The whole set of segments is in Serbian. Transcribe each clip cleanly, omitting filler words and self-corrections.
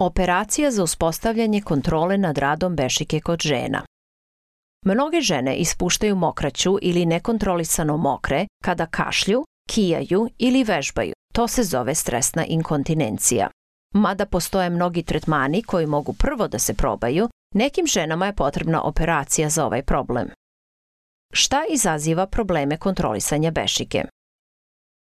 Operacija za uspostavljanje kontrole nad radom bešike kod žena. Mnoge žene ispuštaju mokraću ili nekontrolisano mokre kada kašlju, kijaju ili vežbaju. To se zove stresna inkontinencija. Mada postoje mnogi tretmani koji mogu prvo da se probaju, nekim ženama je potrebna operacija za ovaj problem. Šta izaziva probleme kontrolisanja bešike?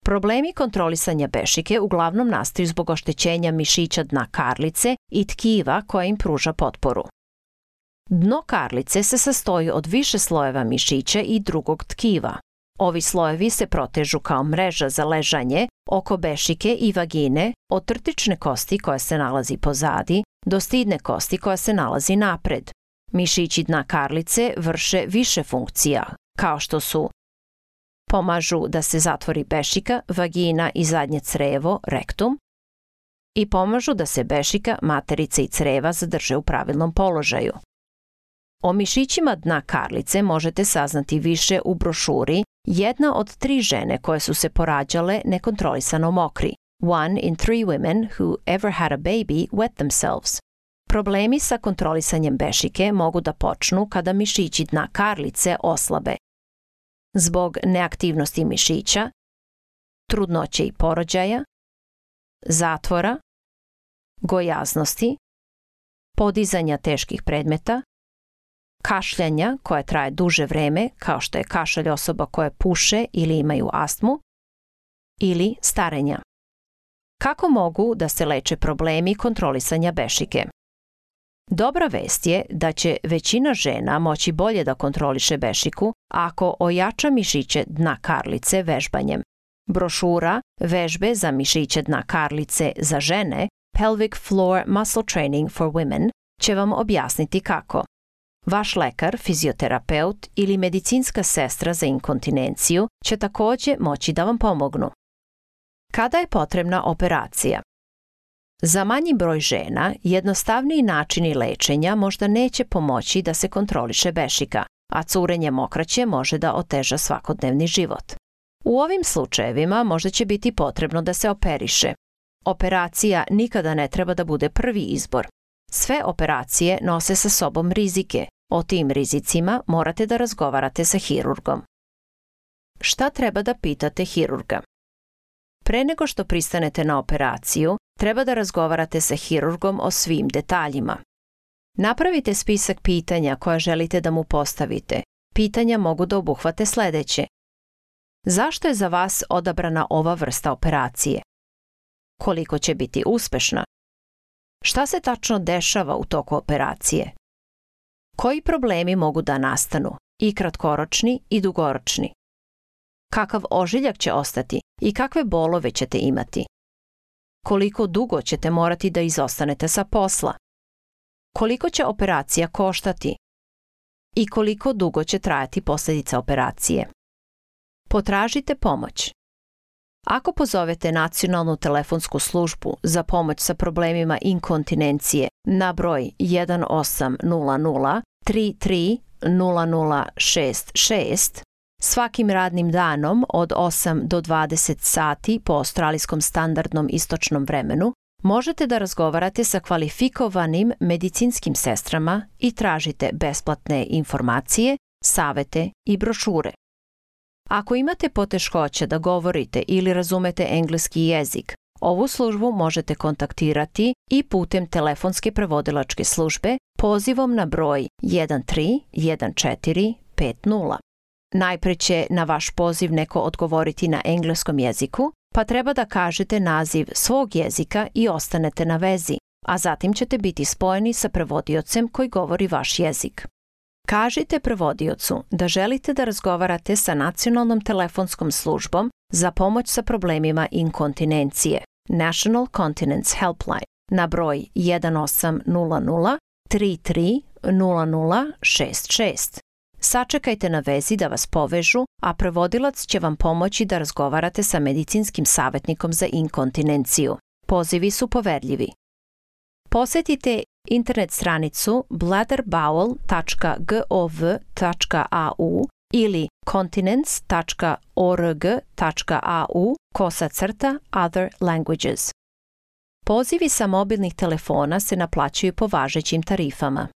Problemi kontrolisanja bešike uglavnom nastaju zbog oštećenja mišića dna karlice i tkiva koja im pruža potporu. Dno karlice se sastoji od više slojeva mišića i drugog tkiva. Ovi slojevi se protežu kao mreža za ležanje oko bešike i vagine od trtične kosti koja se nalazi pozadi do stidne kosti koja se nalazi napred. Mišići dna karlice vrše više funkcija, kao što su pomažu da se zatvori bešika, vagina i zadnje crevo, rektum, i pomažu da se bešika, materica i creva zadrže u pravilnom položaju. O mišićima dna karlice možete saznati više u brošuri Jedna od 3 žene koje su se porađale nekontrolisano mokri. 1 in 3 women who ever had a baby wet themselves. Problemi sa kontrolisanjem bešike mogu da počnu kada mišići dna karlice oslabe. Zbog neaktivnosti mišića, trudnoće i porođaja, zatvora, gojaznosti, podizanja teških predmeta, kašljanja koje traje duže vreme, kao što je kašalj osoba koje puše ili imaju astmu, ili starenja. Kako mogu da se leče problemi kontrolisanja bešike? Dobra vest je da će većina žena moći bolje da kontroliše bešiku ako ojača mišiće dna karlice vežbanjem. Brošura Vežbe za mišiće dna karlice za žene, Pelvic Floor Muscle Training for Women, će vam objasniti kako. Vaš lekar, fizioterapeut ili medicinska sestra za inkontinenciju će takođe moći da vam pomognu. Kada je potrebna operacija? Za manji broj žena, jednostavniji načini lečenja možda neće pomoći da se kontroliše bešika, a curenje mokraće može da oteža svakodnevni život. U ovim slučajevima možda će biti potrebno da se operiše. Operacija nikada ne treba da bude prvi izbor. Sve operacije nose sa sobom rizike. O tim rizicima morate da razgovarate sa hirurgom. Šta treba da pitate hirurga? Pre nego što pristanete na operaciju, treba da razgovarate sa hirurgom o svim detaljima. Napravite spisak pitanja koja želite da mu postavite. Pitanja mogu da obuhvate sledeće. Zašto je za vas odabrana ova vrsta operacije? Koliko će biti uspešna? Šta se tačno dešava u toku operacije? Koji problemi mogu da nastanu, i kratkoročni i dugoročni? Kakav ožiljak će ostati i kakve bolove ćete imati? Koliko dugo ćete morati da izostanete sa posla? Koliko će operacija koštati? I koliko dugo će trajati posljedica operacije? Potražite pomoć. Ako pozovete nacionalnu telefonsku službu za pomoć sa problemima inkontinencije na broj 1800 33 0066 svakim radnim danom od 8 do 20 sati po australijskom standardnom istočnom vremenu, možete da razgovarate sa kvalifikovanim medicinskim sestrama i tražite besplatne informacije, savete i brošure. Ako imate poteškoće da govorite ili razumete engleski jezik, ovu službu možete kontaktirati i putem telefonske prevodilačke službe pozivom na broj 131450. Najpre će na vaš poziv neko odgovoriti na engleskom jeziku, pa treba da kažete naziv svog jezika i ostanete na vezi, a zatim ćete biti spojeni sa prevodiocem koji govori vaš jezik. Kažite prevodiocu da želite da razgovarate sa nacionalnom telefonskom službom za pomoć sa problemima inkontinencije, National Continence Helpline, na broj 1800 33 0066. Sačekajte na vezi da vas povežu, a prevodilac će vam pomoći da razgovarate sa medicinskim savjetnikom za inkontinenciju. Pozivi su poverljivi. Posetite internet stranicu bladderbowel.gov.au ili continence.org.au /other languages. Pozivi sa mobilnih telefona se naplaćuju po važećim tarifama.